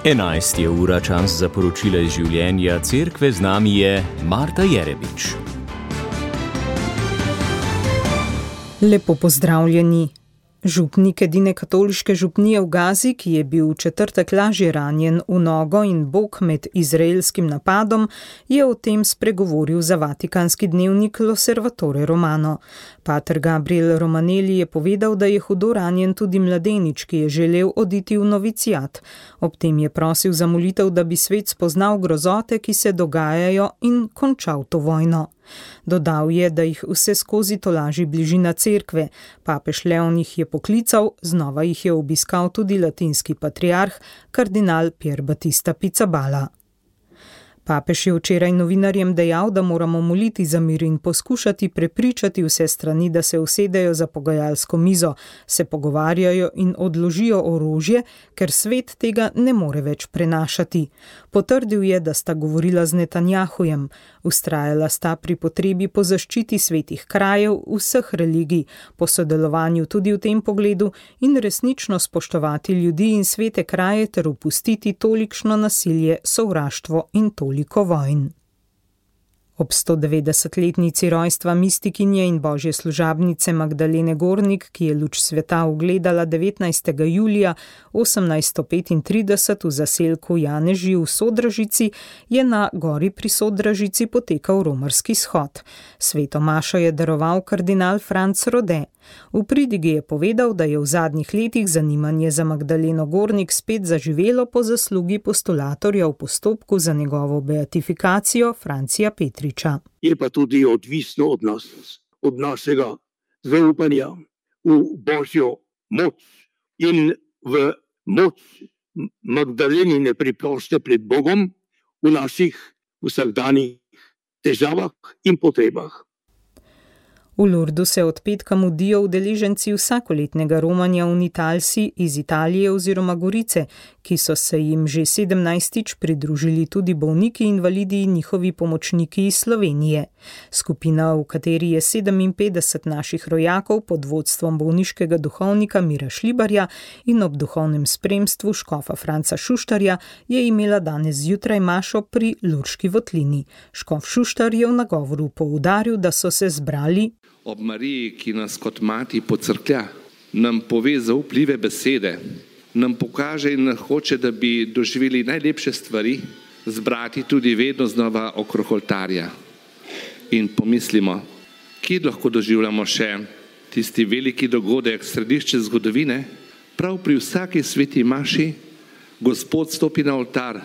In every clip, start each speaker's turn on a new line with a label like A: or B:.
A: 11 je ura, čas za poročila iz življenja cerkve, z nami je Marta Jerebič.
B: Lepo pozdravljeni. Župnik edine katoliške župnije v Gazi, ki je bil v četrtek lažje ranjen v nogo in bok med izraelskim napadom, je o tem spregovoril za vatikanski dnevnik L'Osservatore Romano. Pater Gabriel Romanelli je povedal, da je hudo ranjen tudi mladenič, ki je želel oditi v novicijat. Ob tem je prosil za molitev, da bi svet spoznal grozote, ki se dogajajo, in končal to vojno. Dodal je, da jih vse skozi tolaži bližina cerkve. Papež Leon jih je poklical, znova jih je obiskal tudi latinski patriarh, kardinal Pier Battista Pizzaballa. Papež je včeraj novinarjem dejal, da moramo moliti za mir in poskušati prepričati vse strani, da se usedejo za pogajalsko mizo, se pogovarjajo in odložijo orožje, ker svet tega ne more več prenašati. Potrdil je, da sta govorila z Netanjahujem. Vztrajala sta pri potrebi po zaščiti svetih krajev vseh religij, po sodelovanju tudi v tem pogledu in resnično spoštovati ljudi in svete kraje ter opustiti tolikšno nasilje, sovraštvo in toliko vojn. Ob 190-letnici rojstva mistikinje in božje služabnice Magdalene Gornik, ki je luč sveta ugledala 19. julija 1835 v zaselku Janeži v Sodražici, je na gori pri Sodražici potekal romarski shod. Sveto mašo je daroval kardinal Franc Rode. V pridigi je povedal, da je v zadnjih letih zanimanje za Magdaleno Gornik spet zaživelo po zaslugi postulatorja v postopku za njegovo beatifikacijo Francija Petriča.
C: Je pa tudi odvisno od nas, od našega zaupanja v božjo moč in v moč Magdalenine priprošnje pred Bogom v naših vsakdanjih težavah in potrebah.
B: V Lurdu se od petka mudijo udeleženci vsakoletnega romanja unitalsi iz Italije oziroma Gorice, ki so se jim že 17. pridružili tudi bolniki, invalidi in njihovi pomočniki iz Slovenije. Skupina, v kateri je 57 naših rojakov pod vodstvom bolniškega duhovnika Mira Šlibarja in ob duhovnem spremstvu škofa Franca Šuštarja, je imela danes zjutraj mašo pri Lurški votlini. Škof Šuštar je v nagovoru poudaril, da so se zbrali
D: ob Mariji, ki nas kot mati pocrklja, nam pove zaupljive besede, nam pokaže in hoče, da bi doživeli najlepše stvari, zbrati tudi vedno znova okrog oltarja. In pomislimo, kje lahko doživljamo še tisti veliki dogodek, središče zgodovine, prav pri vsaki sveti maši Gospod stopi na oltar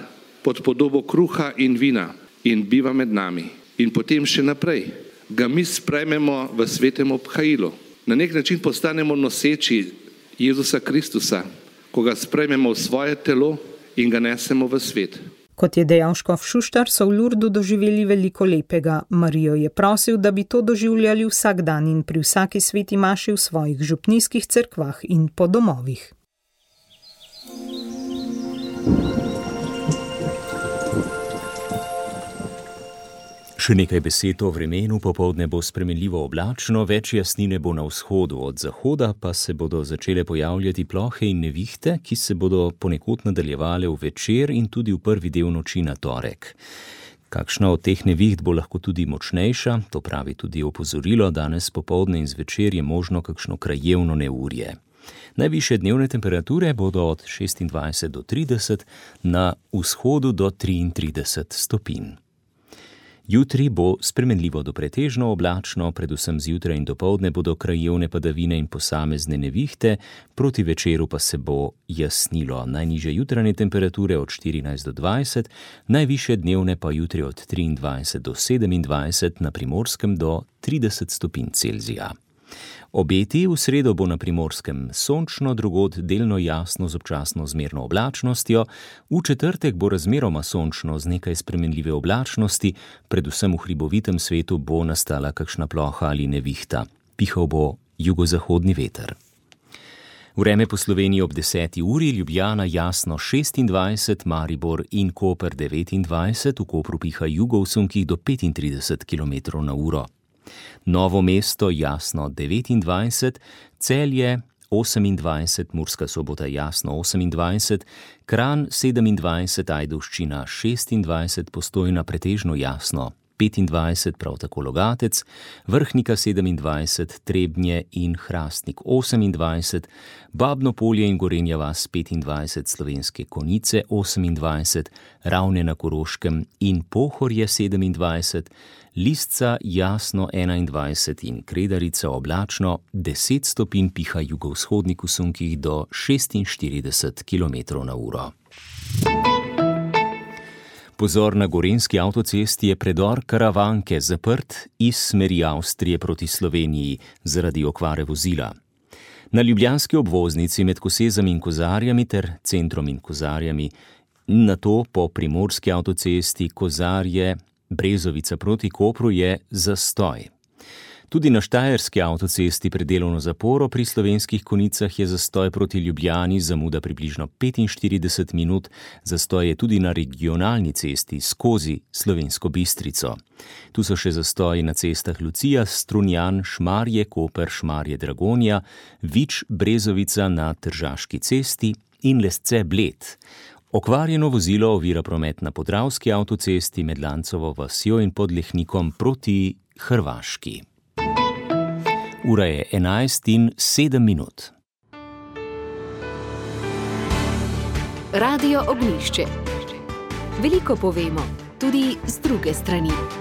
D: pod podobo kruha in vina in biva med nami. In potem še naprej ga mi sprejmemo v svetem obhajilu. Na nek način postanemo noseči Jezusa Kristusa, ko ga sprejmemo v svoje telo in ga nesemo v svet.
B: Kot je dejal škof Šuštar, so v Lurdu doživeli veliko lepega. Marijo je prosil, da bi to doživljali vsak dan in pri vsaki sveti maši v svojih župnijskih cerkvah in po domovih.
A: Še nekaj besed o vremenu. Popoldne bo spremenljivo oblačno, več jasnine bo na vzhodu, od zahoda pa se bodo začele pojavljati plohe in nevihte, ki se bodo ponekod nadaljevale v večer in tudi v prvi del noči na torek. Kakšna od teh neviht bo lahko tudi močnejša, to pravi tudi opozorilo, danes popoldne in zvečer je možno kakšno krajevno neurje. Najvišje dnevne temperature bodo od 26 do 30, na vzhodu do 33 stopinj. Jutri bo spremenljivo do pretežno oblačno, predvsem zjutraj in dopoldne bodo krajevne padavine in posamezne nevihte, proti večeru pa se bo jasnilo. Najnižje jutranje temperature od 14 do 20, najvišje dnevne pa jutri od 23 do 27, na Primorskem do 30 stopinj Celzija. Obeti: v sredo bo na Primorskem sončno, drugod delno jasno z občasno zmerno oblačnostjo, v četrtek bo razmeroma sončno z nekaj spremenljive oblačnosti, predvsem v hribovitem svetu bo nastala kakšna ploha ali nevihta. Pihal bo jugozahodni veter. Vreme po Sloveniji ob 10. uri: Ljubljana jasno 26, Maribor in Koper 29, v Kopru piha jugo v sunkih do 35 km/h. Novo mesto jasno 29, Celje 28, Murska Sobota jasno 28, Kranj 27, Ajdovščina 26, Postojna pretežno jasno 25, prav tako Logatec, Vrhnika 27, Trebnje in Hrastnik 28, Babno Polje in Gorenja vas 25, Slovenske Konjice 28, Ravne na Koroškem in Pohorje 27, Lisca jasno 21 in Kredarica oblačno 10 stopinj, piha jugovzhodnik v sunkih do 46 km/h. Pozor, na gorenjski avtocesti je predor Karavanke zaprt iz smeri Avstrije proti Sloveniji zaradi okvare vozila. Na ljubljanski obvoznici med Kosezami in Kozarjami ter Centrom in Kozarjami, nato po primorski avtocesti Kozarje Brezovica proti Kopru je zastoj. Tudi na štajerski avtocesti pred delovno zaporo pri Slovenskih Konjicah je zastoj proti Ljubljani, zamuda približno 45 minut, zastoj je tudi na regionalni cesti skozi Slovensko Bistrico. Tu so še zastoji na cestah Lucija, Strunjan, Šmarje, Koper, Šmarje, Dragonja, Vič, Brezovica na Tržaški cesti in Lesce, Bled. Okvarjeno vozilo ovira promet na Podravski avtocesti med Lancovo vasjo in Podlehnikom proti Hrvaški. Ura je 11:07.
E: Radio Ognjišče. Veliko povemo, tudi z druge strani.